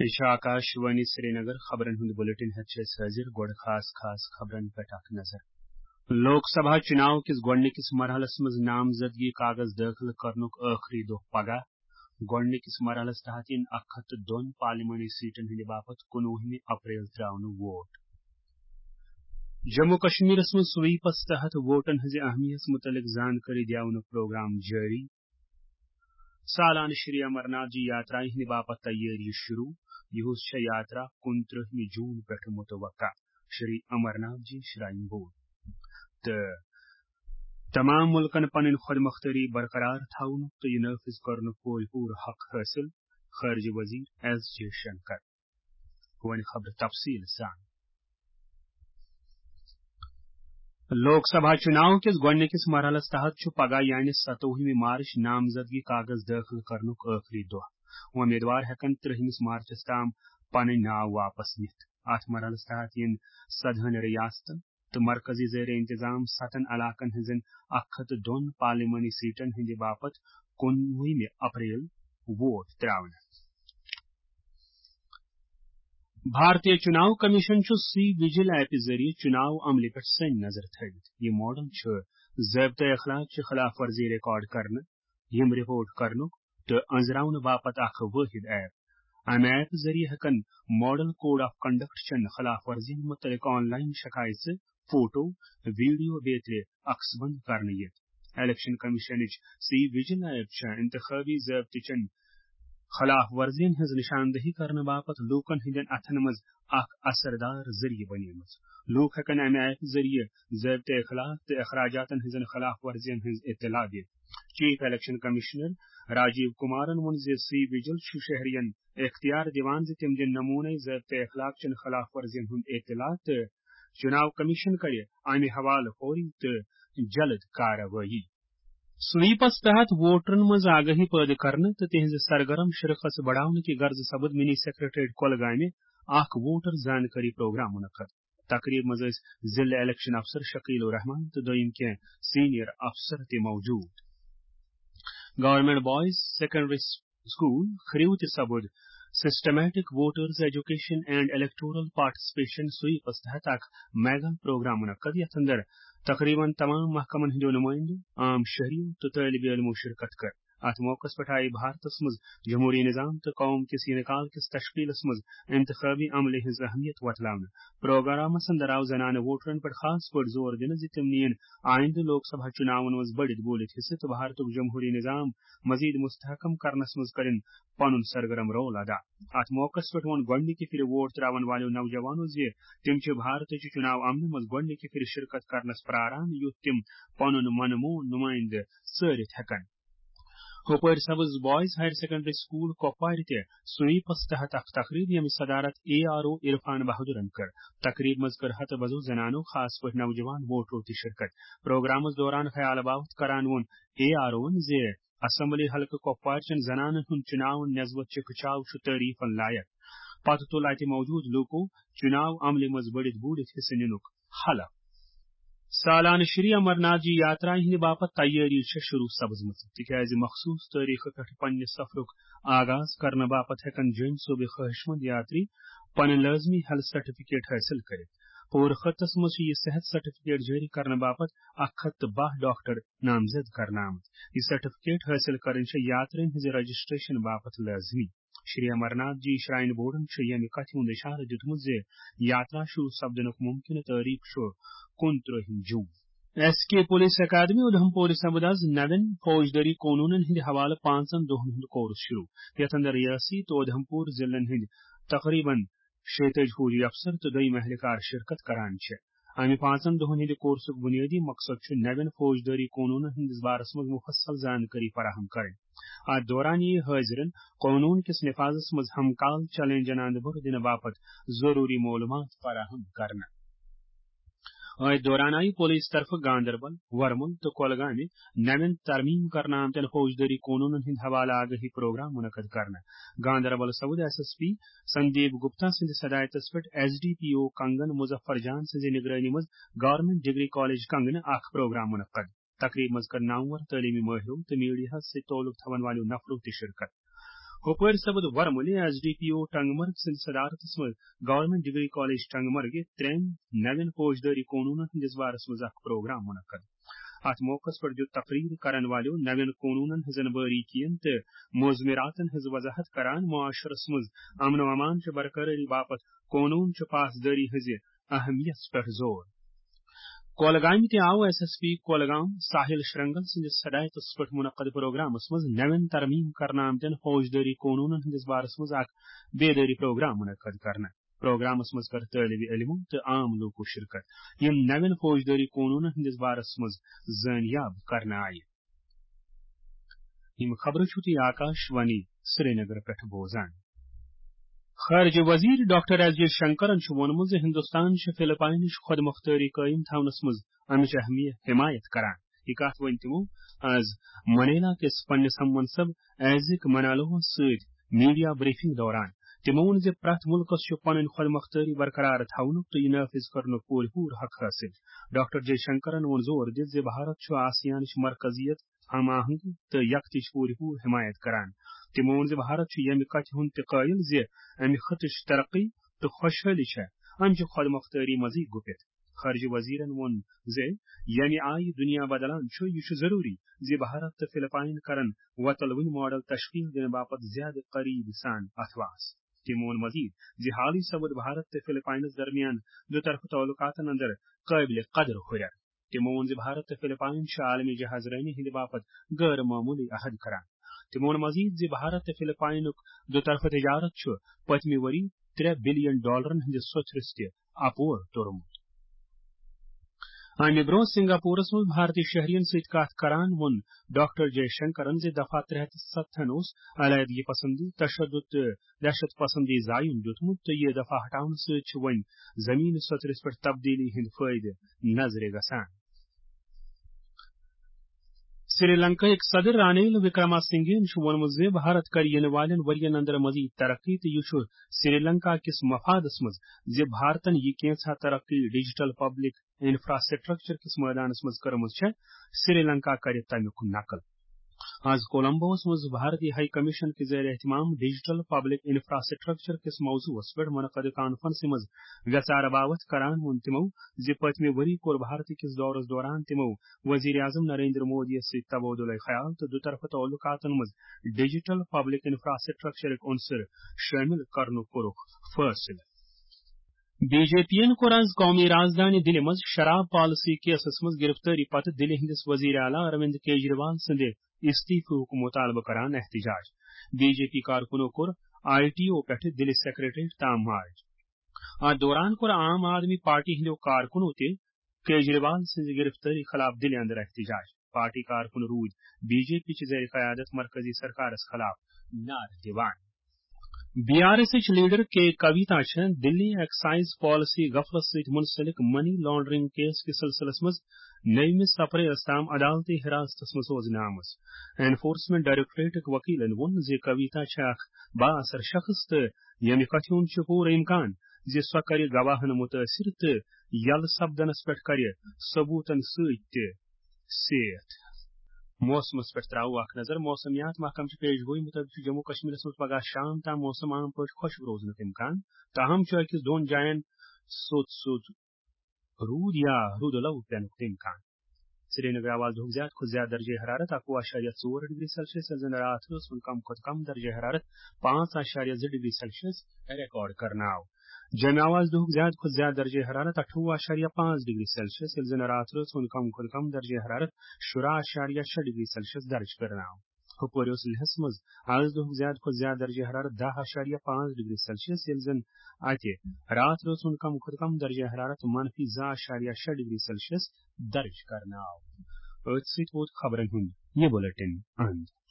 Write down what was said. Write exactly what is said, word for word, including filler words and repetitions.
یہِ چھُ آکاش وانی سرینگر۔ خبرن ہُنٛد بلیٹن ہٮ۪تھ چھِ أسۍ حٲضِر۔ گۄڈٕ خاص خاص خبرن پٮ۪ٹھ اکھ نظر۔ لوک سبھا چُناو کِس گۄڈٕنِکِس مرحلس منٛز نامزدگی کاغذ دٲخل کرنُک ٲخری دۄہ پگاہ۔ گۄڈٕنِکِس مرحلس تحت یِن اکھ ہتھ تہٕ دۄن پارلیمانی سیٹن ہٕنٛدِ باپتھ کُنوُہمہِ اپریل ترٛاونہٕ ووٹ۔ جموں کشمیرس منٛز سویپس تحت ووٹن ہٕنٛزِ اہمیت مُتعلق زانکٲری دِیاونُک پروگرام جٲری۔ سالانہٕ شری امرناتھ جی یاترایہِ ہٕنٛدِ باپتھ تیٲری شروع۔ یِہُس چھےٚ یاترا کُنترٛہمہِ جوٗن پٮ۪ٹھٕ متوقع۔ شری امرناتھ جی شراین بورڈ تہٕ تمام مُلکن پنٕنۍ خۄد مۄختٲری برقرار تھاونُک تہٕ یہِ نافذ کرنُک پوٗرٕ پوٗرٕ حق حٲصِل، خارجہ وزیر ایس جے شنکر۔ وۄنۍ خبرٕ تفصیٖل سان۔ لوک سبھا چُناو کِس گۄڈٕنِکِس مرحلس تحت چھُ پگاہ یعنی ستووُہمہِ مارچ نامزدگی کاغذ دٲخل کرنُک ٲخری دۄہ۔ وۄمیدوار ہٮ۪کن ترٛہمِس مارچس تام پنٕنۍ ناو واپس نِتھ۔ اتھ مرحلس تحت یِن سدہن ریاستن تہٕ مرکزی زیر انتظام ستن علاقن ہٕنٛزن اکھ ہتھ تہٕ دۄن پارلیمانی سیٹن ہٕنٛدِ باپتھ کُنوُہمہِ اپریل ووٹ ترٛاونہٕ۔ بھارتیہ چُناو کمیشن چھُ سی وجل ایپہِ ذٔریعہٕ چُناو عملہِ پٮ۪ٹھ سٔنۍ نظر تھٲوِتھ۔ یہِ ماڈل چھُ ضٲبطہٕ اخلاق چہِ خلاف ورزی ریکارڈ کرنہٕ، یِم رپورٹ کرنُک تہٕ أنٛزراونہٕ باپتھ اکھ وٲحد ایپ۔ امہِ ایپ ذٔریعہٕ ہٮ۪کن ماڈل کوڈ آف کنڈکٹ چٮ۪ن خلاف ورزین مُتعلق آن لائن شکایژٕ، فوٹو، ویڈیو بیترِ عکس بند کرنہٕ یِتھ۔ الیکشن کمیشنٕچ سی وجل ایپ چھےٚ انتخابی ضٲبطہٕ چٮ۪ن خلاف ورزین ہٕنٛز نشاندہی کرنہٕ باپتھ لوٗکن ہٕنٛدٮ۪ن اتھن منٛز اکھ اثردار ذٔریعہٕ بنیمٕژ۔ لوٗکھ ہٮ۪کن امہِ ایپہِ ذٔریعہٕ ضٲبطہٕ اخلاق تہٕ اخراجاتن ہٕنٛزن خلاف ورزین ہٕنٛز اطلاع دِتھ۔ Chief election commissioner Rajiv Kumaran ووٚن زِ سی وجل چھُ شہرین اختیار دِوان زِ تِم دِن نموٗنَے ضٲبطہٕ اخلاق چٮ۪ن خلاف ورزین ہُنٛد اطلاع تہٕ چُناو کمیشن کرِ امہِ حوالہٕ فوری تہٕ جلد کاروٲیی۔ سویپس تحت ووٹرن منٛز آگاہی پٲدٕ کرنہٕ تہٕ تِہنٛزِ سرگرم شرکژ بڑاونہٕ کہِ غرضہٕ سپُد منی سیکریٹریٹ کۄلگامہِ اکھ ووٹر زانکٲری پروگرام منعقد۔ تقریب منٛز ٲسۍ ضلع الیکشن افسر شکیل الرحمان تہٕ دوٚیِم کینٛہہ سینئر افسر تہِ موجود۔ گورنمنٹ بوائز سیکنڈری سکول کھریو تہِ سپُد systematic voters education and electoral participation سویپس تحت اکھ میگا پروگرام منعقد، یتھ اندر تقریباً تمام محکمن ہٕنٛدیو نمائندو، عام شہریو تہٕ طٲلب علمو شرکت کٔر۔ اتھ موقعس پٮ۪ٹھ آیہِ بھارتس منٛز جمہوری نظام تہٕ قوم کِس انعقال کِس تشکیلس منٛز انتخابی عملہِ ہٕنٛز اہمیت وۄتلاونہٕ۔ پروگرامس اندر آو زنانہٕ ووٹرن پٮ۪ٹھ خاص پٲٹھۍ زور دِنہٕ زِ تِم نِیِن آئندٕ لوک سبھا چُناون منٛز بٔڑِتھ بوٗلِتھ حصہٕ تہٕ بھارتُک جمہوری نظام مزید مستحکم کرنس منٛز کٔرِن پنُن سرگرم رول ادا۔ اتھ موقعس پٮ۪ٹھ ووٚن گۄڈٕنِکہِ پھِرِ ووٹ ترٛاون والیو نوجوانو زِ تِم چھِ بھارتٕچہِ چُناو عملہِ منٛز گۄڈٕنِکہِ پھِرِ شرکت کرنس پراران، یُتھ تِم پنُن من مون نُمٲیندٕ ژٲرِتھ ہٮ۪کن۔ ہُپٲرۍ سبز بوائز ہائر سیکنڈری سکول کۄپوارِ تہِ سویپس تحت اکھ تقریب، ییٚمِچ صدارت اے آر او عرفان بہادرن کٔر۔ تقریب منٛز کٔر ہتہٕ بزو زنانو، خاص پٲٹھۍ نوجوان ووٹرو تہِ شرکت۔ پروگرامس دوران خیال باوتھ کران ووٚن اے آر اوَن زِ اسمبلی حلقہٕ کۄپوارِ چٮ۪ن زنانن ہُنٛد چُناون نسبت چھُ کھچاو چھُ تعریفن لایق۔ پتہٕ تُل اتہِ موجود لوٗکو چُناو عملہِ منٛز بٔڑِتھ بوٗلِتھ حصہٕ نِنُک حلف۔ سالانہٕ شری امرناتھ جی یاترا ہٕنٛدِ باپتھ تیٲری چھےٚ شروع سپزمٕژ، تِکیازِ مخصوص تٲریخہٕ پٮ۪ٹھ پننہِ سفرُک آغاز کرنہٕ باپتھ ہٮ۪کن جوٚمۍ صوبٕکۍ خٲہِش مند یاتری پنٕنۍ لٲزمی ہیلتھ سرٹیفکیٹ حٲصِل کٔرِتھ۔ پوٗرٕ خطس منٛز چھُ یہِ صحت سرٹیفکیٹ جٲری کرنہٕ باپتھ اکھ ہتھ تہٕ باہ ڈاکٹر نامزد کرنہٕ آمٕتۍ۔ یہِ سرٹیفکیٹ حٲصِل کرٕنۍ چھےٚ یاترین ہٕنٛزِ رجسٹریشن باپتھ لٲزمی۔ شری امرناتھ جی شراین بورڈن چھُ ییٚمہِ کتھِ ہُنٛد اِشارٕ دِیُتمُت زِ یاترا شروع سپدنُک ممکنہٕ تٲریخ چھُ کُنترٛہِم جوٗن۔ ایس کے پولیس اکیڈمی اُدھمپور سپُد از نوین فوجدٲری قونوٗنن ہٕنٛدِ حوالہٕ پانٛژن دۄہن ہُنٛد کورس شروع، یتھ اندر ریاسی تہٕ اُدھمپور ضلعن ہٕنٛدۍ تقریباً شیٚتٲجۍ فوجی افسر تہٕ دوٚیِم اہلکار شرکت کران چھِ۔ امہِ پانٛژن دۄہن ہٕنٛدِ کورسُک بُنیٲدی مقصد چھُ نوٮ۪ن فوجدٲری قونوٗنن ہٕنٛدِس بارس منٛز مُفصل زانکٲری فراہم کرٕنۍ۔ اتھ دوران یِیہِ حٲضرن قونوٗن کِس نفاذس منٛز ہم کال چیلنجن اندٕ برٛونٛہہ دِنہٕ باپتھ ضروٗری معلوٗمات فراہم کرنہٕ۔ أتھۍ دوران آیہِ پولیس طرفہٕ گاندربل، ورمُل تہٕ کۄلگامہِ نوٮ۪ن ترمیم کرنہٕ آمتٮ۪ن فوجدٲری قونوٗنن ہٕنٛدِ حوالہٕ آگٲہی پروگرام منعقد کرنہٕ۔ گاندربل سپُد S S P Sandeep Gupta سٕنٛدِ صدارتس پٮ۪ٹھ ایس ڈی پی او کنگن مظفر جان سٕنٛزِ نگرٲنی منٛز گورنمنٹ ڈگری کالج کنگنہٕ اکھ پروگرام منعقد۔ تقریب منٛز کٔر نامور تعلیمی مٲہرو تہٕ میڈیاہس سۭتۍ تعلق تھاون والیو نفرو تہِ شرکت۔ ہُپٲرۍ سپُد ورمُلہِ ایس ڈی پی او ٹنگمرگ سٕنٛدِ صدارتس منٛز گورنمنٹ ڈگری کالج ٹنگمرگہِ ترٛٮ۪ن نوٮ۪ن فوجدٲری قونوٗنن ہٕنٛدِس بارس منٛز اکھ پروگرام منعقد۔ اتھ موقعس پٮ۪ٹھ دیُت تقریر کرن والیو نوٮ۪ن قونوٗنن ہٕنٛزن باریکین تہٕ مضمراتن ہٕنٛز وضاحت کران معاشرس منٛز امن و امان چہِ برقرٲری باپتھ قونوٗن چہِ پاسدٲری ہٕنٛزِ اہمیت پٮ۪ٹھ زور۔ کولگامہِ تہِ آو ایس ایس پی کولگام ساحل شرنگل سٕنٛدِس ہدایتس پٮ۪ٹھ منعقد پروگرامس منٛز نوٮ۪ن ترمیم کرنہٕ آمتٮ۪ن فوجدٲری قونوٗنن ہٕنٛدِس بارس منٛز اکھ بیدٲری پروگرام منعقد کرنہٕ۔ پروگرامس منٛز کٔر طٲلبِ علمو تہٕ عام لوٗکو شرکت، یِم نوٮ۪ن فوجدٲری قونوٗنن ہٕنٛدِس بارس منٛز زٲنیاب کرنہٕ آیہِ۔ یِم خبرٕ چھِو تُہۍ آکاش وانی سرینگر پٮ۪ٹھ بوزان۔ خارجہ وزیر ڈاکٹر ایس جے شنکرن چھُ ووٚنمُت زِ ہندوستان چھُ فلپاینٕچ خود مختٲری قٲیِم تھاونس منٛز امِچ اہمیت حمایت کران۔ یہِ کتھ ؤنۍ تِمو آز منیلا کِس پننِس ہم منصب ایزک منالوہس سۭتۍ میڈیا بریفنگ دوران۔ تِمو ووٚن زِ پرٛٮ۪تھ مُلکَس چھُ پنٕنۍ خۄد مۄختٲری برقرار تھاونُک تہٕ یہِ نافذ کرنُک پوٗرٕ پوٗرٕ حق حٲصِل۔ ڈاکٹر جے شنکرَن ووٚن زور دِتھ زِ بھارت چھُ آسیانٕچ مرکزیت، ہم آہنگی تہٕ یکتٕچ پوٗرٕ پوٗرٕ حمایت کران۔ تِمو ووٚن زِ بھارت چھُ ییٚمہِ کتھِ ہُنٛد تہِ قٲیِل زِ امہِ خطٕچ ترقی تہٕ خۄشحٲلی چھےٚ امہِ چہِ خۄد مۄختٲری منٛزٕے گُپِتھ۔ خارجہ وزیرن ووٚن زِ ییٚمہِ آیہِ دُنیا بدلان چھُ، یہِ چھُ ضروٗری زِ بھارت تہٕ فلپائن کرن وۄتلوٕنۍ ماڈل تشکیل دِنہٕ باپتھ زیادٕ قریب سان اتھواس۔ تٔمۍ ووٚن مزید زِ حالٕے سپُد بھارت تہٕ فلپائنس درمیان دُطرفہٕ تعلقاتن اندر قٲبلِ قدر ہُرٮ۪ر۔ تٔمۍ ووٚن زِ بھارت تہٕ فلپائن چھِ عالمی جہاز رٲنی ہٕنٛدِ باپتھ غٲر معموٗلی عہد کران۔ تٔمۍ ووٚن مزید زِ بھارت تہٕ فلپائنُک دُطرفہٕ تجارت چھُ پٔتمہِ ؤری ترٛےٚ بلین ڈالرن ہٕنٛدِس سوٚتھرِس تہِ اپور توٚرمُت۔ امہِ برونٛہہ سنگاپورس منٛز بھارتی شہرین سۭتۍ کتھ کران ووٚن ڈاکٹر جے شنکرن زِ دفعہ ترٛےٚ ہتھ تہٕ ستتھن اوس علیحدگی پسندی، تشدد تہٕ دہشت پسندی زایُن دیُتمُت تہٕ یہِ دفعہ ہٹاونہٕ سۭتۍ چھُ وۄنۍ زمینہِ سوٚتھرِس پٮ۪ٹھ تبدیلی ہٕنٛدۍ فٲیدٕ نظرِ گژھان۔ سری لنکاہٕکۍ صدر رانیل وکرما سنگھین چھُ ووٚنمُت زِ بھارت کرِ یِنہٕ والٮ۪ن ؤرین اندر مزید ترقی تہٕ یہِ چھُ سری لنکا کِس مفادس منٛز زِ بھارتن یہِ کینژھا ترقی ڈیجیٹل پبلک انفراسٹرکچر کِس مٲدانس منٛز کٔرمٕژ چھےٚ، سری لنکا کرِ تمیُک نقل۔ آز کولمبوس منٛز بھارتی ہائی کمیشن کہِ زیر اہتمام ڈیجیٹل پبلک انفراسٹرکچر کِس موضوعس پٮ۪ٹھ منعقد کانفرنسہِ منٛز ویژارٕ باوتھ کران ووٚن تِمو زِ پٔتمہِ ؤری کوٚر بھارت کِس دورس دوران تِمو وزیر اعظم نریندر مودی یَس سۭتۍ تبادلہ خیال تہٕ دُطرفہٕ تعلقاتن منٛز ڈیجیٹل پبلک انفراسٹرکچرٕک عنصر شٲمِل کرنُک کوٚرُکھ فٲصلہٕ۔ بی جے پی یَن کوٚر آز قومی رازدانہِ دِلہِ منٛز شراب پالیسی کیسَس منٛز گرفتٲری پتہٕ دِلہِ ہٕنٛدِس وزیر اعلیٰ اروند کیجریوال سٕنٛدِ استعفہُک مطالبہٕ کران احتجاج۔ بی جے پی کارکُنو کوٚر آئی ٹی او پٮ۪ٹھٕ دِلہِ سیکرٹریٹ تام مارچ۔ اتھ دوران کوٚر عام آدمی پارٹی ہٕنٛدیو کارکُنو تہِ کیجریوال سٕنٛزِ گرفتٲری خلاف دِلہِ اندر احتجاج۔ پارٹی کارکُن روٗدۍ بی جے پی چہِ زیر قیادت مرکزی سرکارس خلاف نعرٕ دِوان۔ B R S H leader K Kavitha چھےٚ دِلی ایکسائز پالیسی غفلت سۭتۍ منسلک منی لانڈرنگ کیس کِس سلسلس منٛز نٔومِس اپریلس تام عدالتی حراستس منٛز سوزنہٕ آمٕژ۔ انفورسمنٹ ڈائریکٹوریٹٕکۍ وکیلن ووٚن زِ کویتا چھےٚ اکھ بااثر شخص تہٕ ییٚمہِ کتھِ ہُنٛد چھُ پوٗرٕ امکان زِ سۄ کرِ گواہن مُتٲثر تہٕ یلہٕ سپدنس پٮ۪ٹھ کرِ ثبوتن سۭتۍ تہِ سیتھ۔ موسمس پٮ۪ٹھ ترٛاوو اکھ نظر۔ موسمیات محکمہٕ چہِ پیش گویی مُطٲبِق چھُ جموں کشمیرس منٛز پگاہ شام تام موسم عام پٲٹھۍ خۄشک روزنُک امکان، تاہم چھُ أکِس دۄن جاین سوٚت سوٚت روٗد یا روٗدٕ لَو پٮ۪نُک تہِ امکان۔ سرینگر آو آز دُہُک زیادٕ کھۄتہٕ زیادٕ درجہ حرارت اَکوُہ اَشاریہ ژور ڈگری سیلسیس، ییٚلہِ زَن راتھ ٲس وۄنۍ کم کھۄتہٕ کم درجہ حرارت پانٛژھ اَشاریہ زٕ ڈگری سیلسیس ریکارڈ کرنہٕ آو۔ جوٚمہِ آو آز دُہُک زیادٕ کھۄتہٕ زیادٕ درجہ حرارت اَٹھووُہ اَشاریہ پانٛژھ ڈگری سیلسیس، ییٚلہِ زَن راتھ ٲس وۄنۍ کم کھۄتہٕ کم درجہ حرارت شُراہ اَشاریہ شےٚ ڈگری سیلسیس درج کرنہٕ آو۔ ہُپٲرۍ اوس لیہس منٛز آز دُہُک زیادٕ کھۄتہٕ زیادٕ درجہ حرارت دَہ اَشاریہ پانٛژھ ڈگری سیلسیس، ییٚلہِ زَن اَتہِ راتھ ٲس وۄنۍ کم کھۄتہٕ کم درجہ حرارت منفی زٕ اَشاریہ شےٚ ڈگری سیلسیس درج کرنہٕ آو۔ أتھۍ سۭتۍ ووت خبرن ہُنٛد یہِ بُلٹن اند۔